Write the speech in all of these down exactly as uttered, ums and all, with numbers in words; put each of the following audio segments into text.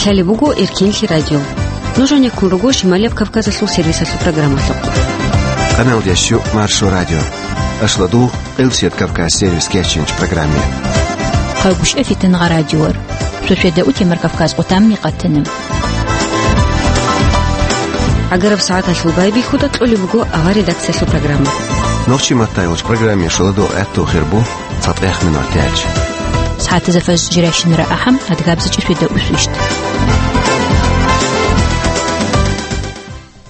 Лъалеб буго Эркенлъи радио. Нуж гьанеккун руго Шималияб Кавказалъул сервисалъул программалъухъ. Къаналдящу Маршо радио. Ашладу, Къилсият Кавказ сервис кеченч программе. Хъагушев Фитнагъа радиор. Суседа утемар Кавказ къутамни къатана. Агараб сагӀаталъул байбихьуда кьолеб буго авар редакциялъул программа. Нохчи маттайолч программе шоладо гӀатту хирбу. ЦатӀехмин ватилач. СагӀатазда фажр жирайщинара ахӀам, адгабзичӀи светда усвищ.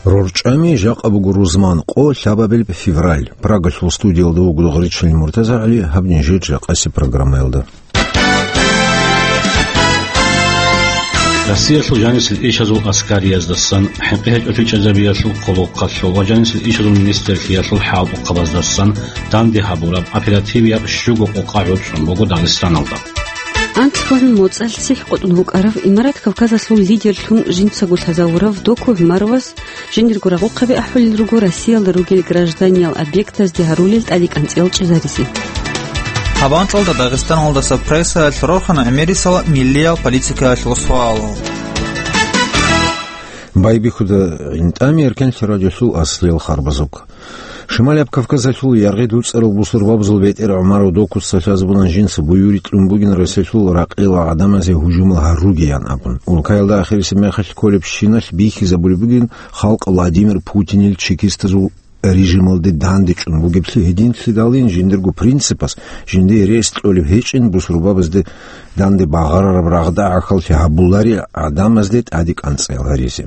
РорчӀами жакъа буго рузман къо лъабабилеб февраль. Прагалъул студиялда вуго Дугъричил МуртазагӀали, гьаб нижер жакъасеб программаялда. Россиялъул жанисел ишазул аскариздасан, хӀинкъи гьечӀолъи чӀезабиялъул хъулухъалъул ва жанисел ишазул министрлъиялъул хӀалтӀухъабаздасан данде гьабураб оперативияб щуго къокъа гӀуцӀун буго Дагъистаналда. Анкьгун моцӀалъ цихӀ къотӀун вукӀарав Имарат Кавказалъул лидерлъун жинцаго лъазавурав Доку ГӀумаровас жиндирго рагъухъаби ахӀулел руго Россиялда ругел гражданиял объектазде гьарулел тӀадекӀанцӀиял чӀезаризе. Гьаб анкьалда Дагъистаналдаса прессаялъ рорхана гӀемерисела миллиял политикаялъул суалал. Байбихьуда гӀинтӀами Эркенлъи радиолъул аслиял харбазухъ. Шималияб Кавказалъул яргъи дуцӀарал бусурбабазул бетӀер ГӀумаров Докуца лъазабуна жинца буюрикь кьун бугин Россиялъул ракъила гӀадамазе гьужумал гьаругеян абун. Улкаялда ахирисеб мехалъ кколебщиналъ бихьизабулеб бугин халкъ Владимир Путинил чекистазул режималде дандечӀун бугеблъи гьединлъидалин жиндирго принципас, жиндие рес кьолеб гьечӀин бусурбабазде данде багъарараб рагъда гӀахьаллъи гьабуларел гӀадамазде тӀадекӀанцӀиял гьаризе.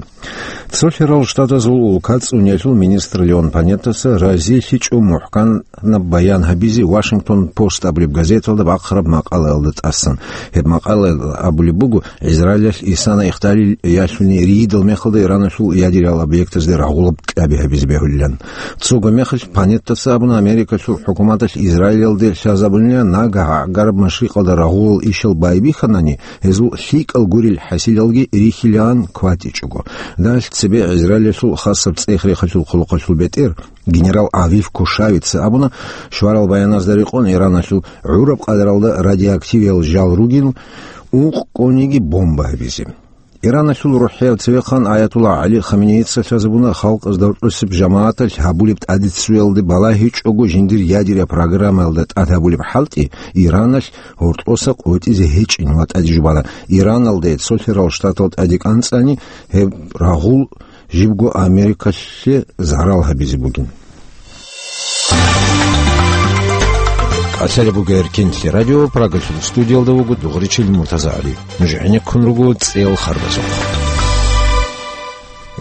Цолъарал Штатазул улка цӀуниялъул министр Леон Панеттаса разилъичӀо мухӀканаб баян гьабизе Вашингтон Пост абулеб газеталда бахъараб макъалаялда тӀасан. Гьеб макъалаялда абулеб буго, Израилалъ исана ихталил ялъуни рийидал мехалда Ираналъул ядерал объектазде рагъулаб кьаби гьабизе бегьулилан. Цого мехалъ Панеттаса абуна, Америкалъул хӀукуматалъ Израилалде лъазабунила, нагагь гӀагараб машрикъалда рагъулал ишал байбихьанани, гьезул лъикӀал гурел хӀасилалги рихьилаан кватӀичӀого. Далъ цебе Израилалъул хасаб цӀех-рехалъул хъулухъалъул бетӀер генерал Авиф Кушавица абуна, щварал баяназда рекъон Ираналъул гӀураб къадаралда радиоактивиял жал ругел, ункъ кӀониги бомба гьабизе. Ираналъул рухӀияв цевехъан Аятулла ГӀали Хаменеица лъазабуна халкъазда рукӀусеб жамагӀаталъ гьабулеб тӀадиццуялде балагьичӀого жиндир ядерия программаялда тӀад гьабулеб хӀалтӀи Ираналъ гьоркьоса къотӀизе гьечӀин ва тӀаде жубана, Ираналде цолъарал штатал тӀаде кӀанцӀани гьеб рагъул жибго Америкалъе зарал гьабизе бугин. Къалъалеб буго Эркенлъи радио, Прагалъул студиялда вуго Дугъричил МуртазагӀали. Нуж гӀенеккун руго цӀел харбазухъ.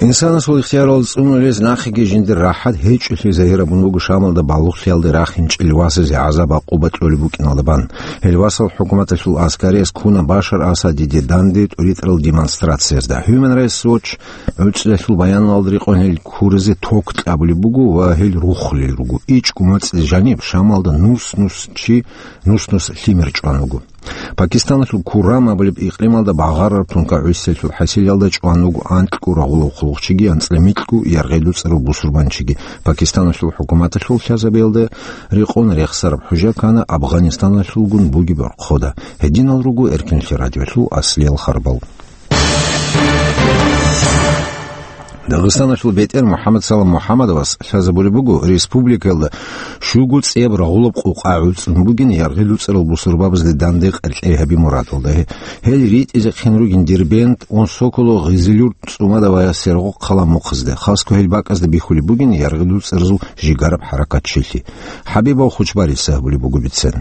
Инсанасул ихтиярал цӀунулез нахъеги жиндир рахӀат гьечӀолъи загьир абун буго Шамалда балугълъиялде рахинчӀел васазе гӀазаб-гӀакъуба кьолеб букӀиналда бан. Гьел васал хӀукуматалъул аскариз ккуна Башар Асадиде данде тӀуритӀарал демонстрациязда. Human Rights Watch гӀуцӀиялъул баяналда рекъон гьел ккуразе ток кьабулеб буго ва гьел рухулел руго. ИчӀго моцӀизе жаниб Шамалда нус-нус чи, нус-нус лъимер чӀван вуго. Пакистаналъул Куррам абулеб икълималда багъарараб тункагӀусиялъул хӀасилалда чӀван вуго анкьго рагъулав хъулухъчиги анцӀила микьго яргъи дуцӀарав бусурбанчиги. Пакистаналъул хӀукуматалъул лъазабиялда рекъон рехсараб хӀужа ккана Афганистаналъулгун бугеб рохъода. Гьединал руго Эркенлъи радиолъул аслиял харбал. Дагъистаналъул бетӀер МухӀаммад Салам МухӀаммадовас лъазабулеб буго, республикаялда щуго цӀеб рагъулаб къукъа гӀуцӀун бугин яргъи дуцӀарал бусурбабазде данде къеркьей гьаби мурадалда. Гьел ритӀизехъин ругин Дербент, Онсоколо, Гъизилюрт, ЦӀумада ва Сергокъ хъала мухъазде. Хасго гьел бакӀазда бихьулеб бугин яргъи дуцӀаразул жигараб хӀаракатчилъи. ХӀабибов Хучбарица гьабулеб буго бицен.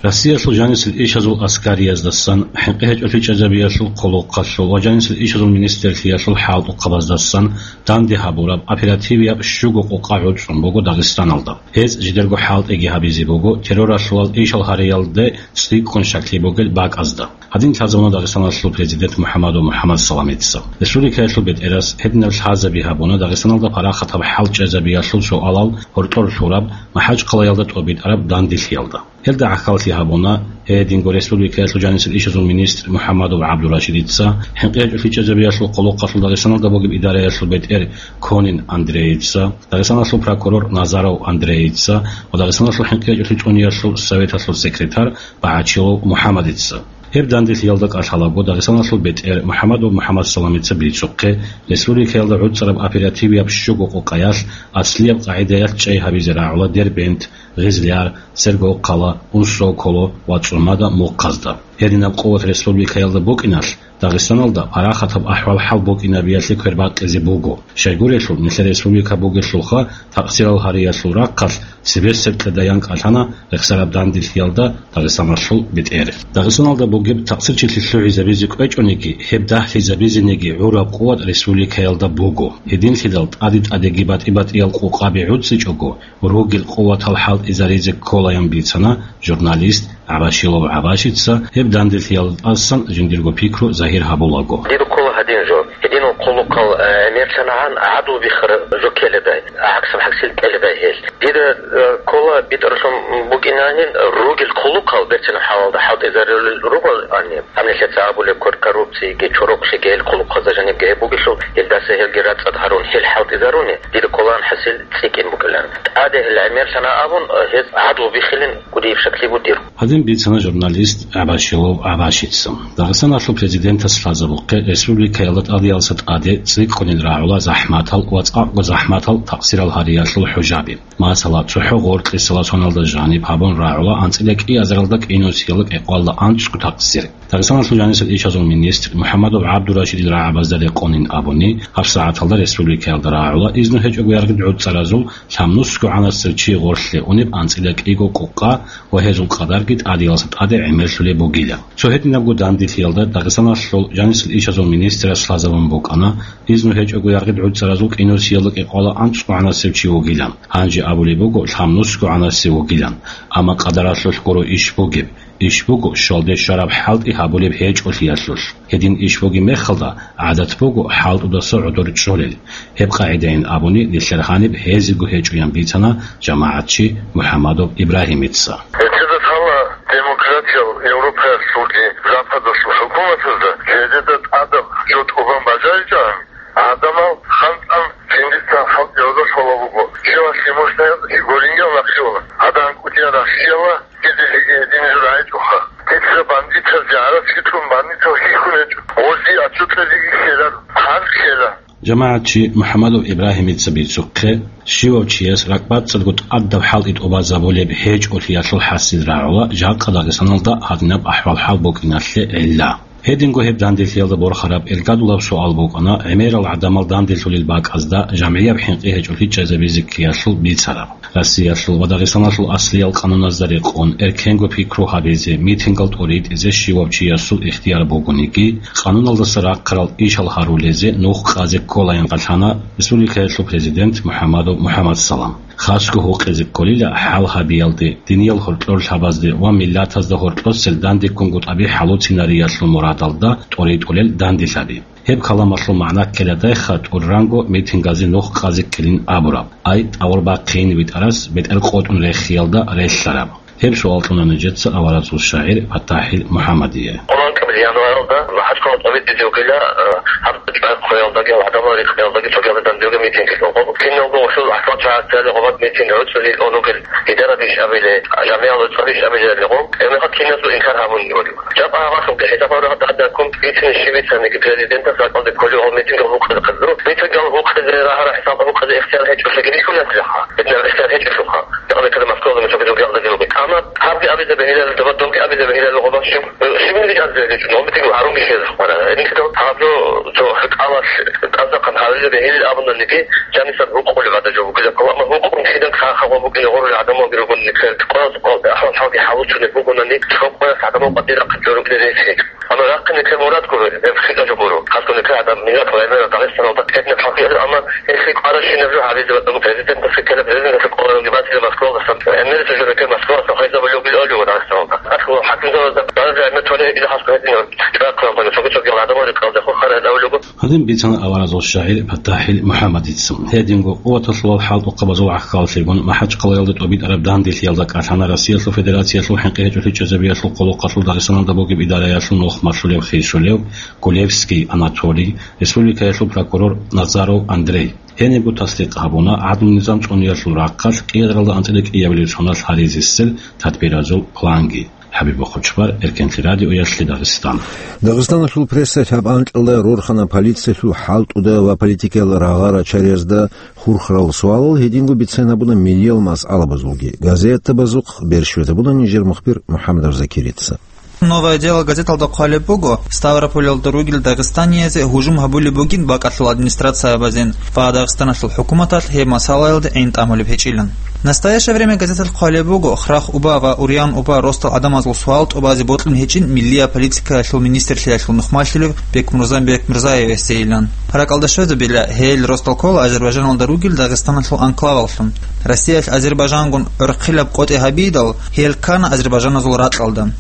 Россиялъул жанисел ишазул аскариздасан, хӀинкъи гьечӀолъи чӀезабиялъул хъулухъалъул ва жанисел ишазул министрлъиялъул хӀалтӀухъабаздасан данде гьабураб оперативияб щуго къукъа гӀуцӀун буго Дагъистаналда. Гьез жидерго хӀалтӀиги гьабизе буго терроралъулал ишал гьариялде цӀикӀкӀун щаклъи бугел бакӀазда. Гьадин лъазабуна Дагъистаналъул президент МухӀаммадов МухӀаммад Саламица. Республикаялъул бетӀерас гьединаб лъазаби гьабуна Дагъистаналда парахатаб хӀал чӀезабиялъул суалал гьоркьор лъураб МахӀачхъалаялда тӀобитӀараб данделъиялда. Гьелда гӀахьаллъи гьабуна гьединго республикаялъул жанисел ишазул министр МухӀаммадов ГӀабдурашидица, хӀинкъи гьечӀолъи чӀезабиялъул хъулухъалъул Дагъистаналда бугеб идараялъул бетӀер Конин Андрейица, Дагъистаналъул прокурор Назаров Андрейица ва Дагъистаналъул хӀинкъи гьечӀолъи цӀуниялъул советалъул секретарь БагӀачилов МухӀаммадица. Гьеб данделъиялда кӀалъалаго Дагъистаналъул бетӀер МухӀаммадов МухӀаммадсаламица бицухъе, республикаялда гӀуцӀараб оперативияб щуго къокъаялъ аслияб къагӀидаялъ чӀей гьабизе рагӀула Дербент, Гъизлияр, Сергокъала, Унсоколо ва ЦӀумада мухъазда. Гьединаб къуват республикаялда букӀиналъ, Дагъистаналда парахатаб ахӀвал-хӀал букӀинабиялъе квербакъизе буго. Щайгурелъул, нилъер республика бугелъулха, такъсирал гьариялъул рахъалъ цебесеб кьедаян кӀалъана рехсараб данделъиялда Дагъистаналъул бетӀер. Дагъистаналда бугеб такъсирчилъи лъугӀизабизе кӀвечӀониги, гьеб дагьлъизабизениги гӀураб къуват республикаялда буго. Гьединлъидал тӀаде-тӀадеги батӀи-батӀиял къукъаби гӀуцӀичӀого, ругел къуватал хӀалтӀизаризе кколаян бицана журналист ГӀабашилов ГӀабашица, гьеб данделъиялда тӀасан жиндирго пикру загьир гьабулаго. Дида ккола гьадин жо. Гьединал хъулухъал, э, гӀемерлъанагӀан гӀадлу биххара жо ккеладай, гӀаксаб гӀаксил ккеладай гьел. Дида, э, ккола битӀаралъун букӀинанин ругел хъулухъал берцинаб хӀалалда хӀалтӀизарулел ругоани, гьанилъеца абулеб кор-, коррупциги, чорокълъиги гьел хъулухъазда жанибги гьеб бугелъул, гьелдаса гьелги рацӀцӀад гьарун, гьел хӀалтӀизаруни, дида кколаан хӀасил цӀикӀкӀин букӀилан. ТӀаде гьел гӀемерлъана абун, э, гьез гӀадлу биххилин кӀудияб шаклъи бугеб. Гьадин бицана журналист ГӀабашилов ГӀабашица. Дагъистаналъул президентас лъазабухъе республикаялда тӀадеялдаса тӀаде цӀикӀкӀунел рагӀула захӀматал ва цӀакъго захӀматал такъсирал гьариялъул хӀужаби. Масала, цохӀо гъоркьисала соналда жаниб гьабун рагӀула анцӀила кӀиазаралда кӀинусиялда кӀикъоялда анцӀго такъсир. Дагъистаналъул жанисел ишазул министр МухӀаммадов ГӀабдурашидил рагӀабазда рекъонин абуни, гьабсагӀаталда республикаялда рагӀула изну гьечӀого яргъи гӀуцӀаразул лъабнусго гӀанасев чи гъорлъе унеб анцӀила кӀиго къукъа ва гьезул къадарги тӀадеялдаса тӀаде гӀемерлъулеб бугила. Цо гьединабго данделъиялда Дагъистаналъул жанисел ишазул министрас лъазабун букӀана, изну гьечӀого яргъи гӀуцӀаразул кӀинусиялда кӀикъоялда анцӀго гӀанасев чи вугилан. Гьанже абулеб буго лъабнусго гӀанасев вугилан. Амма къадаралъулъ гуро иш бугеб. Иш буго щвалде щвараб хӀалтӀи гьабулеб гьечӀолъиялъулъ. Гьедин иш бугеб мехалда, гӀадат буго хӀалтӀудаса гӀодор чӀолел. Гьеб къагӀидайин абуни, нилъер гьаниб гьезего гьечӀоян бицана жамагӀатчи МухӀаммадов Ибрагьимица. Гьелъеда лъала демократиял Европаялъулги Западалъул хӀукуматазда жидеда тӀадаб жо тӀубан бажаричӀан, гӀадамал ханцӀан жиндицан хӀалтӀиялда лъола буго. Щивалъги мужнаял чи гурингиял нахъе уна. Гьадан кӀудиял Россияла гьединлъиги гьедин жо рагӀичӀоха. Дица бандитазде гӀарац хитӀун бандитал хьихьун гьечӀо. Гъози ачӀутӀазеги ккела, хъан ккела. ЖамагӀатчи МухӀаммадов Ибрагьимица бицухъе, щивав чияс ракӀбацӀцӀадго тӀадаб хӀалтӀи тӀубазабулеб гьечӀолъиялъул хӀасил рагӀула жакъа Дагъистаналда гьадинаб ахӀвал-хӀал букӀиналъе гӀилла. Гьединго гьеб данделъиялда борхараб иргадулаб суал букӀана, гӀемерал гӀадамал данделъулел бакӀазда жамгӀияб хӀинкъи гьечӀолъи чӀезабизе ккеялъул бицараб. Россиялъул ва Дагъистаналъул аслиял къануназда рекъон, эркенго пикру гьабизе, митингал тӀуритӀизе щивав чиясул ихтияр бугониги, къануналдаса рахъарал ишал гьарулезе нух къазе кколаян кӀалъана республикаялъул президент МухӀаммадов МухӀаммадсалам. Хасго гьукъизе кколила хӀал гьабиялде, диниял гьоркьор лъабазде ва миллатазда гьоркьосел дандеккунго тӀаби хӀалуцинариялъул мурадалда тӀуритӀулел данделъаби. Гьеб каламалъул магӀна ккеладайха тӀурранго митингазе нух къазе ккелин абураб, ай тӀавур бахъин витӀарас бетӀер къотӀун рехиялда релълъараб. Гьеб суал кьуна нижеца аваразул шагӀир ПатахӀил МухӀаммадие. Къуланкабил январалда МахӀачкъала тӀамитӀизе вугила, э, гьаб чӀвай хъуялдаги гьав гӀадамал рихъиялдаги цогиялда данделги митинг лъугьун. Киналго гьелъул ахӀвал чагӀазда гьабаб митинг гӀуцӀулел онугел идарадеш абиле, жамгӀиял цӀариш абиле гьегъов, гьебмехалъ киназго инкар гьабун гьорив. Жакъа гьабалъулги хӀисаб гьабураб гьадаккун бицин щиб бицаниги президентас ракӀалде кколев гьав митинг гьукъизе хъизу. Митинг гьукъизе рагьараб хӀисаб гьукъизе ихтияр гьечӀолъиги рихьулареха. Гьединаб ихтияр гьечӀелъулха. Жакъа мекада Москвалда мешалги жугьялда гьелуги. Амма гьабги абизе бегьилалда ва добги абизе бегьилалда гъоба щиб, щибниги жагьилзаги чӀун, гьаб митинг гьарунги щезухъара. Гьединлъидал гьаб жо цо хӀукъалалъ тӀадахъан гьарулел бегьилил абунаниги, жанисан гьукъулеб гӀадаб жо бугила. Амма гьукъун кидан хъа-, хъа гъо букӀине гъорулел гӀадамалги ругони, нилъер къваз-къвалде ахӀвал-хӀалги хӀалучунеб бугони, цо къоялъ гӀадамал къватӀир рахъин чӀорукӀине рехи. Амма рахъин нилъер мурад гуро, гьеб хӀинкъа жо гуро. Хасго нилъер гӀадам, миллат ва гӀемерал Дагъистаналда тӀеднаб хӀалхьи, амма гьелъие кӀварабщинаб жо гьабизе батӀаго президентасе ккела, президентасе ккола, гьеб батила Москвалдасан, гӀемерисеб жо бекер Москваласан хвезабулев бугел олев Дагъистаналда. Ахъ, хӀакимзабазда бараб гӀемер толеб гьечӀила хасго гьединав чӀвай хъуялдаги цоги-цогиял гӀадамал рекъалдехун хъарай гьавулего. Гьадин бицана аваразул шагӀир ПатахӀил МухӀаммадица. Гьединго къуваталъулал хӀалтӀухъабазул гӀахьаллъигун МахӀачкъалаялда тӀубитӀараб данделъиялда кӀалъана Россиялъул Федерациялъул хӀинкъи гьечӀолъи чӀезабиялъул къулухъалъул Дагъистаналда бугеб идараялъул нух малъулев хисулев Гулевский Анатолий, республикаялъул прокурор Назаров Андрей. Гьенибго тасдикъ гьабуна гӀадлу-низам цӀуниялъул рахъалъ кӀиазаралда анцӀила кӀиабилеб соналъ гьаризесел тадбиразул планги. ХӀабиб Бахъучбар, Эркенлъи радиоялъе Дагъистан. Дагъистаналъул прессалъ гьаб анкьалда рорхана полициялъул хӀалтӀуда ва политикиял рагъа-рачариязда хурхарал суалал, гьединго бицен гьабуна миллиял масъалабазулги. Газетабазухъ берщвезабуна нижер мухбир МухӀаммадов Закирица. «Новое дело» газеталда хъвалеб буго, Ставрополалда ругел дагъистаниязе гьужум гьабулеб бугин бакӀалъул администрациябазин ва Дагъистаналъул хӀукуматалъ гьеб масъалаялде гӀин тӀамулеб гьечӀилан. «Настоящее время» газеталъ хъвалеб буго, Храх-Уба ва Уриян-Уба росдал гӀадамазул суал тӀубазе бокьун гьечӀин миллияб политикаялъул министрлъиялъул нухмалъулев Бекмурзан Бекмурзаевасейилан. РакӀалда щвезабила, гьел росдал ккола Азербайджаналда ругел Дагъистаналъул анклаваллъун. Россиялъ Азербайджангун гӀурхъилаб къотӀи гьабидал, гьел ккана азербайджаназул ракьалда.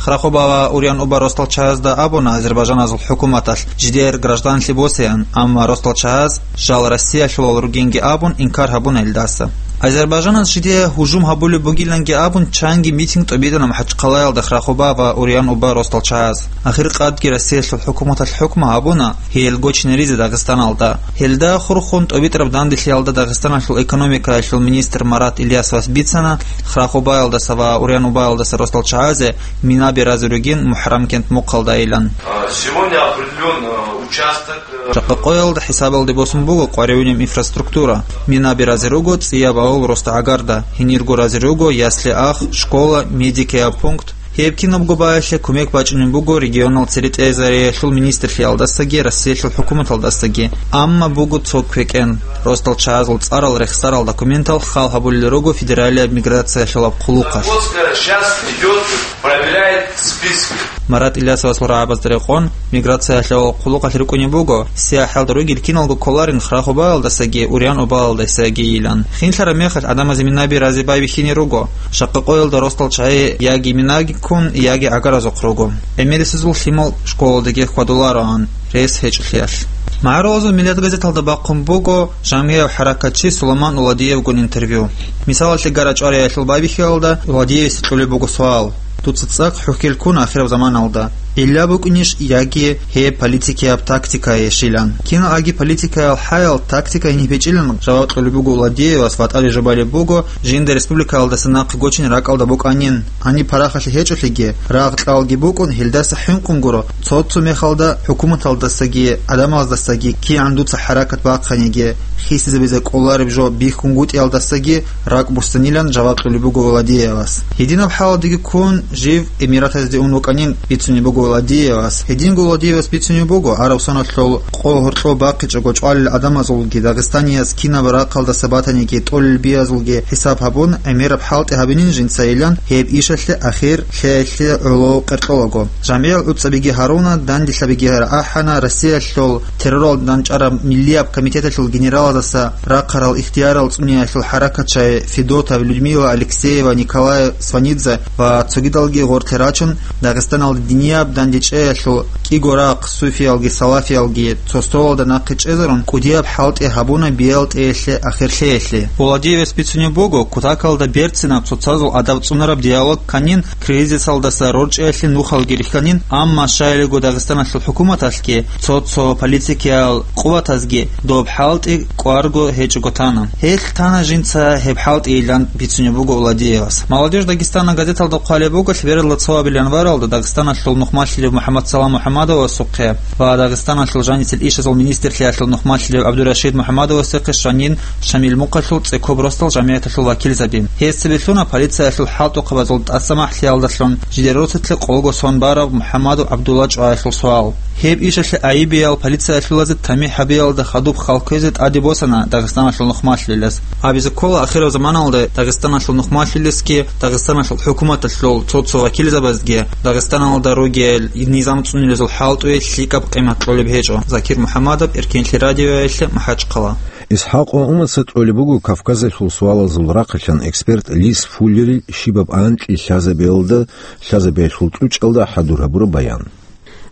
Храх-Уба ва Уриян-Уба росдал чагӀазда абуна азербайджаназул хӀукуматалъ жидер гражданлъи босеян, амма росдал чагӀаз жал Россиялъулал ругинги абун инкар гьабуна илдаса. Азербайджанас жидее гьужум гьабулеб бугиланги абун чанги митинг тӀобитӀана МахӀачхъалаялда Храх-Уба ва Уриян-Уба росдал чагӀаз. Ахир къадги Россиялъул хӀукуматалъ хӀукму гьабуна гьел гочинаризе Дагъистаналда. Гьелда хурхун тӀобитӀараб данделъиялда Дагъистаналъул экономикаялъул министр Марат Ильясовас бицана Храх-Убаялдаса ва Уриян-Убаялдаса росдал чагӀазе минаби разе ругин МухӀаррамкент мухъалдайилан. А, сегодня определён, э, участок, э, Жакъа къоялда хӀисабалде босун буго къваригӀунеб инфраструктура. Минаби разе руго цӀияб авал росдагӀагарда, гьенирго разе руго ясли-ах, школа, медикияб пункт. Гьеб кинабго баялъе кумек бачӀунеб буго регионал церетӀезариялъул министрлъиялдасаги Россиялъул хӀукуматалдасаги, амма буго цо квекӀен. Росдал чагӀазул цӀарал рехсарал документал хал гьабулел руго федералияб миграциялъулаб хъулухъалъ. Сейчас идёт, проверяет список. Марат Ильясовасул рагӀабазда рекъон, миграциялъул хъулухъалъ рукӀунеб буго, сияхӀалда ругел киналго кколарин Храх-Убаялдасаги Уриян-Убаялдасагийилан. Хинлъараб мехалъ гӀадамазе минаби разе байбихьине руго. Жакъа къоялда росдал чагӀи яги минаги ккун, яги гӀагаразухъ руго. ГӀемерисезул лъимал школалдаги хьвадулароан, рес гьечӀолъиялъ. МагӀарулазул Миллият газеталда бахъун буго жамгӀияв хӀаракатчи Суламан Уладиевгун интервью. Мисалалъе, ГарачӀвариялъул байбихьиялда Уладиевица кьолеб буго суал: «Дуца цӀакъ хӀухьел ккун ахираб заманалда. Илла букӀинищ яги гьеб политикияб тактикайищилан?» Киналги политикаял хӀаял тактика гьениб гьечӀилан жаваб кьолеб буго Уладиевас ва тӀаде жубалеб буго, жинда республикаялдаса нахъе гочине ракӀалда букӀанин. Гьаниб парахалъи гьечӀолъиги, рагъ-кьалги букӀун, гьелдаса хӀинкъун гуро, цо-цо мехалда хӀукуматалдасаги гӀадамаздасаги кигӀан дуца хӀаракат бахъаниги, хисизабизе кӀолареб жо бихьунгутӀиялдасаги ракӀ буссанилан жаваб кьолеб буго Владиевас. Гьединаб хӀалалдеги ккун, жив Эмиратазде ун вукӀанин бицунеб буго Владиевас. Гьединго Владиевас бицунеб буго, гӀараб соналъул къо гьоркьоб бахъичӀого чӀвалел гӀадамазулги, дагъистанияз кинаб рахъалдаса батаниги тӀолел биязулги хӀисаб гьабун, гӀемераб хӀалтӀи гьабинин жинцайилан гьеб ишалъе ахир лъеялъе гӀоло къеркьолаго. ЖамгӀиял гӀуцӀабиги гьаруна, данделъабиги рагӀахӀана Россиялъул терроралда данчӀараб миллияб комитеталъул генералаздаса рахъарал ихтиярал цӀуниялъул хӀаракатчагӀи Федотов, Людмила, Алексеева, Николай Сванидзе ва цогидалги гъорлъе рачун, Дагъистаналда динияб дандечӀеялъул кӀиго рахъ, суфиялги салафиялги, цо столалда нахъе чӀезарун, кӀудияб хӀалтӀи гьабуна биялтӀеялъе ахирлъеялъе. Владиевас бицунеб буго, кутакалда берцинаб цоцазул адаб цӀунараб диалог кканин, кризисалдаса рорчӀиялъе нухалги рихьанин, амма щайилго Дагъистаналъул хӀукуматалъги, цо-цо политикиял къуватазги доб хӀалтӀи кӀварго гьечӀого тана. Гьелъ тана жинца гьеб хӀалтӀийилан бицунеб буго Владиевас. «Молодёжь Дагестана» газеталда хъвалеб буго, лъебералда цо абил январалда Дагъистаналъул нухмалъилев МухӀаммадсалам МухӀаммадовасухъе ва Дагъистаналъул жанисел ишазул министрлъиялъул нухмалъилев ГӀабдурашид МухӀаммадовасухъе щванин Шамил мухъалъул цӀекоб росдал жамгӀияталъул вакилзаби. Гьесие бицуна полициялъул хӀалтӀухъабазул тӀасамахӀлъиялдалъун жидер росулъе къолго сон бараб МухӀаммадов ГӀабдулла чӀваялъул суал. Гьеб ишалъе айибиял полициялъулазе тамихӀ гьабиялда хадуб халквезе тӀаде босана Дагъистаналъул нухмалъилелас. Абизе ккола, ахираб заманалда Дагъистаналъул нухмалъилесги Дагъистаналъул хӀукуматалъул цо-цо вакилзабазги Дагъистаналда ругел низам цӀунилезул хӀалтӀуе лъикӀаб къимат кьолеб гьечӀо. Закир МухӀаммадов, Эркенлъи радиоялъе, МахӀачхъала. ИсхӀакъ Умаца кьолеб буго Кавказалъул суалазул рахъалъан эксперт Лис Фуллерил щибаб анкьи лъазабиялда лъазабиялъул тӀучӀалда хӀадур гьабураб баян.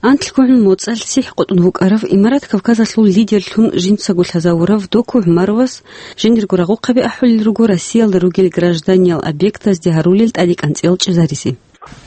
Анкьго гӀун моцӀалъ сихӀ къотӀун вукӀарав, Имарат Кавказалъул лидерлъун жинцаго лъазавурав Доку ГӀумаровас жиндирго рагъухъаби ахӀулел руго Россиялда ругел гражданиял объектазде гьарулел тӀадекӀанцӀиял чӀезаризе.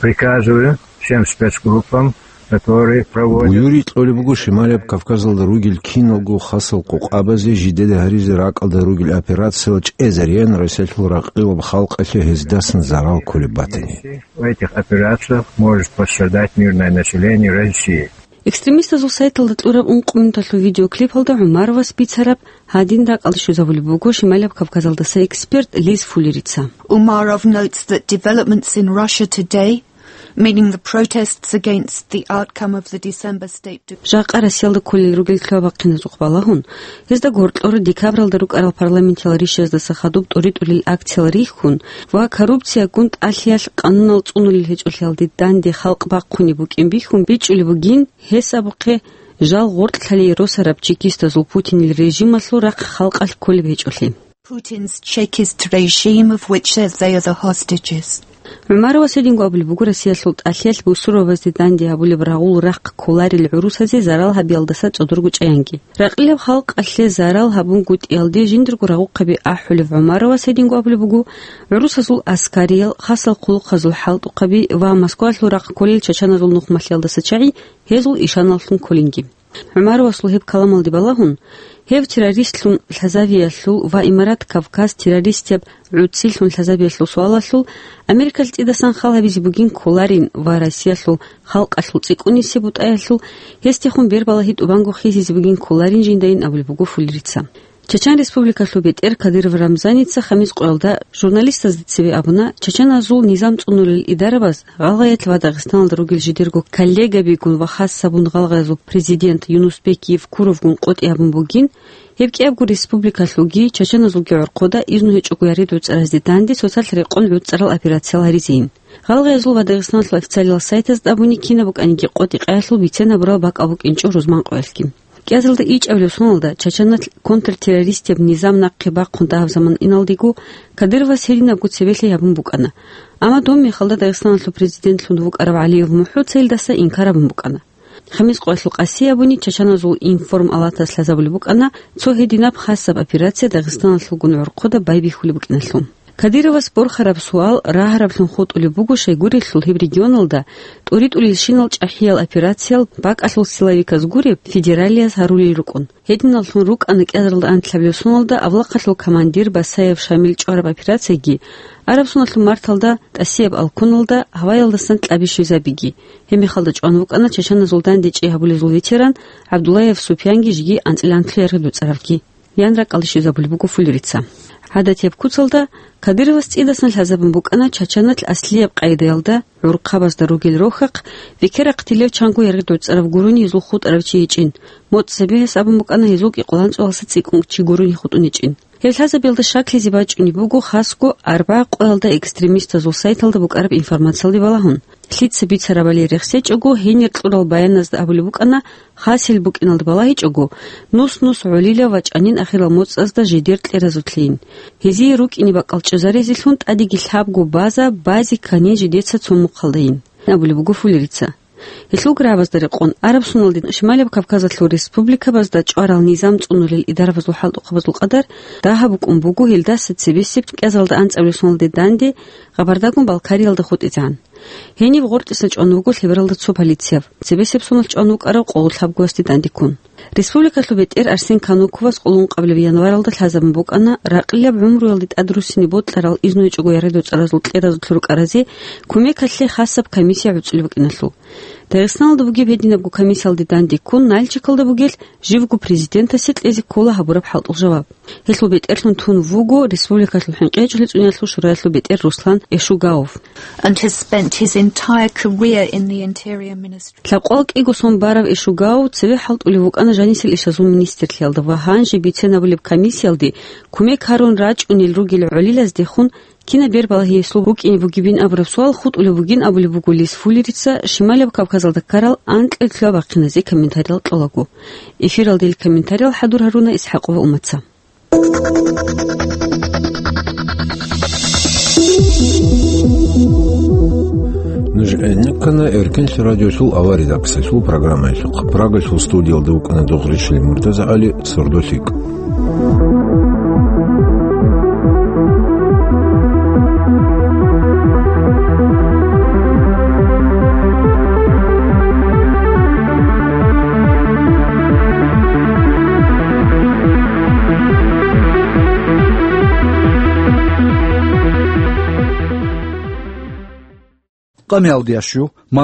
Приказываю всем спецгруппам которые проводят. Буюрикь кьолеб буго Шималияб Кавказалда ругел киналго хасал къокъабазе жидеда гьаризе ракӀалда ругел операциял чӀезариялъ Россиялъул ракъилаб халкъалъе гьездасан зарал кколеб батани. В этих операциях может пострадать мирное население России. Экстремистазул сайталда кьураб ункъо минуталъул видеоклипалда ГӀумаровас бицараб гьадин ракӀалде щвезабулеб буго Шималияб Кавказалдаса эксперт Лиз Фуллерица. Umarov notes that developments in Russia today, meaning the protests against the outcome of the December state de- Жакъа Россиялда кколел ругел лъабабахъиназухъ балагьун, гьезда гьоркьор декабралда рукӀарал парламентиял ришаздаса хадуб тӀуритӀулел акциял рихьун ва коррупциягун тӀалъиялъ къанунал цӀунулел гьечӀолъиялде данде халкъ бахъунеб букӀин бихьун бичӀчӀулеб бугин, гьес абухъе жал гъоркьлъалей росараб чекистазул Путинил режималъул рахъ халкъалъ кколеб гьечӀолъи. Putin's Chekist regime, of which they are the hostages. ГӀумаровас гьединго абулеб буго Россиялъул тӀалъиялъ бусурбабазде данде гьабулеб рагъул рахъ кколарел гӀурусазе зарал гьабиялдаса цӀодорго чӀаянги. Ракъилаб халкъалъе зарал гьабунгутӀиялде жиндирго рагъухъаби ахӀулев ГӀумаровас гьединго абулеб буго, гӀурусазул аскариял, хасал хъулухъазул хӀалтӀухъаби ва Москвалъул рахъ кколел чачаназул нухмалъиялдаса чагӀи гьезул ишаналлъун кколинги. ГӀумаровасул гьеб каламалде балагьун, гьев террористлъун лъазавиялъул ва Имарат Кавказ террористияб гӀуцӀилъун лъазабиялъул суалалъул Америкалъ цӀидасан хал гьабизе бугин кколарин ва Россиялъул халкъалъул цӀикӀкӀунисеб бутӀаялъул гьесдехун бербалагьи тӀубанго хисизе бугин кколарин жиндайин абулеб буго Фуллерица. Чачан Республикалъул бетӀер Кадыров Рамзаница хамис къоялда журналистазда цебе абуна, чачаназул низам цӀунулел идарабаз гъалгъаялъ ва Дагъистаналда ругел жидерго коллегабигун ва хасабун гъалгъаязул президент Юнусбек Евкуровгун къотӀи гьабун бугин, гьеб кӀиябго республикалъулги чачаназулги гӀорхъода изну гьечӀого ярид гӀуцӀаразде данде цоцалъ рекъон гӀуцӀарал операциял гьаризейин. Гъалгъаязул ва Дагъистаналъул официалиял сайтазда абуни кинаб букӀаниги къотӀи къаялъул бицен гьабурал бакӀал букӀинчӀо рузман къоялъги. КӀиазалда ичӀабилев соналда, чачаналъ контртеррористияб низам нахъе бахъун дагьаб заман иналдего, Кадыровас гьединабго цебелъи гьабун букӀана. Амма доб мехалда Дагъистаналъул президентлъун вукӀарав ГӀалиев МухӀуца илдаса инкар гьабун букӀана. Хамис къоялъул къаси абуни чачаназул информалатас лъазабулеб букӀана, цо гьединаб хасаб операция Дагъистаналъулгун гӀорхъода байбихьулеб букӀиналъул. Кадыровас борхараб суал рагьараблъун хутӀулеб буго, щайгурелъул гьеб регионалда тӀуритӀулелщинал чӀахӀиял операциял бакӀалъул силовиказ гуреб федералияз гьарулел рукӀун. Гьединаллъун рукӀана кӀиазаралда анлъабилеб соналда авлахъалъул командир Басаев Шамил чӀвараб операцияги, араб соналъул марталда ТӀасияб алкуналда гьаваялдасан кьаби щвезабиги. Гьеб мехалда чӀван вукӀана чачаназул данде чӀей гьабулезул ветеран ГӀабдуллаев Супьянги жеги анцӀила анлъго яргъи дуцӀаравги. Ян ракӀалде щвезабулеб буго Фуллерица. ГӀадатияб куцалда Кадыровас цӀидасан лъазабун букӀана чачаналъ аслияб къайдаялда гӀурхъабазда ругел рохьахъ, векерахътилев чанго яргъи дуцӀарав гурони гьезул хутӀарав чи гьечӀин, моцӀ цебе гьес абун букӀана гьезул кӀикъоялда анцӀго гьалса цӀикӀкӀун чи гурони хутӀун гьечӀин. Гьеб лъазабиялда щаклъизе бачӀунеб буго хасго арба къоялда экстремистазул сайталда букӀараб информациялде балагьун. Лъица бицарабали рехсечӀого, гьенир кьурал баяназда абулеб букӀана, хасил букӀиналда балагьичӀого, нус-нус гӀолилав ва чӀанин ахирал моцӀазда жидер кьеразулъейин. Гьезие рукӀине бакӀал чӀезарезелъун тӀадеги лъабго база, базе кканин жидеца цо мухъалдайин, абулеб буго Фуллерица. Гьелъул грабазда рекъон араб соналде Шималияб Кавказалъул республикабазда чӀварал низам цӀунулел идарабазул хӀалтӀухъабазул къадар дагьаб букӀун буго гьелдаса цебесеб кӀиазалда анцӀабилеб соналде данде Къабардагун Балкариялда хутӀизегӀан. Гьениб гъоркьиса чӀван вуго лъебералда цо полицияб, цебесеб соналъ чӀван вукӀарав къоло лъабгоясде дандеккун. Республикалъул бетӀер Арсен Кануковас къоло ункъабилеб январалда лъазабун букӀана ракъилаб гӀумруялде тӀадруссине бокьарал изну гьечӀого яргъи дуцӀаразул кьеразулъ рукӀаразе кумекалъе хасаб комиссия гӀуцӀулеб букӀиналъул. Дагъистаналда бугеб гьединабго комиссиялде дандеккун Нальчикалда бугелъ живго президентасе кьезе ккола гьабураб хӀалтӀул жаваб. Гьелъул бетӀерлъун тун вуго республикалъул хӀинкъичӀлъи цӀуниялъул шуралъул бетӀер Руслан Эшугаув. And has spent his entire career in the Interior Ministry. Лъабкъоялда кӀиго сон барав Эшугаув цеве хӀалтӀулев вукӀана жанисел ишазул министрлъиялда ва гьанже бицен абулеб комиссиялде кумек гьарун рачӀунел ругел гӀолилаздехун кинаб бербалагьи гьесул букӀине бугебин абураб суал хутӀулеб бугин абулеб буго Лиз Фуллерица Шималияб Кавказалда ккарал анкьил лъабабахъиназе комментариял кьолаго. Эфиралда ил комментариял хӀадур гьаруна ИсхӀакъова Умаца. Нуж гӀенеккана Эркенлъи радиолъул авария редакциялъул программаялъухъ. Прагалъул студиялда вукӀана Догъришли МуртазагӀали, сордо лъикӀ. Мукъамиялдия щу,